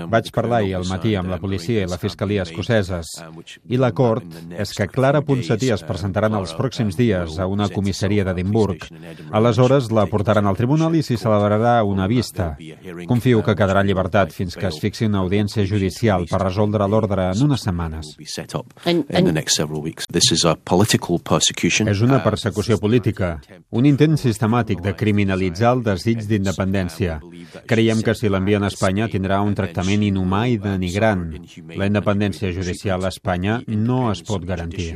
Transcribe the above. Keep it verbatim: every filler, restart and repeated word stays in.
Vaig parlar ahir al matí amb la policia i la fiscalia escoceses i l'acord és que Clara Ponsatí es presentaran els pròxims dies a una comissaria d'Edimburg. Aleshores la portaran al tribunal i s'hi celebrarà una vista. Confio que quedarà en llibertat fins que es fixi una audiència judicial per resoldre l'ordre en unes setmanes. És una persecució política, un intent sistemàtic de criminalitzar el desig d'independència. Creiem que si l'envien a Espanya tindrà un tractament inhumà i denigrant. La independència judicial a Espanya no es pot garantir.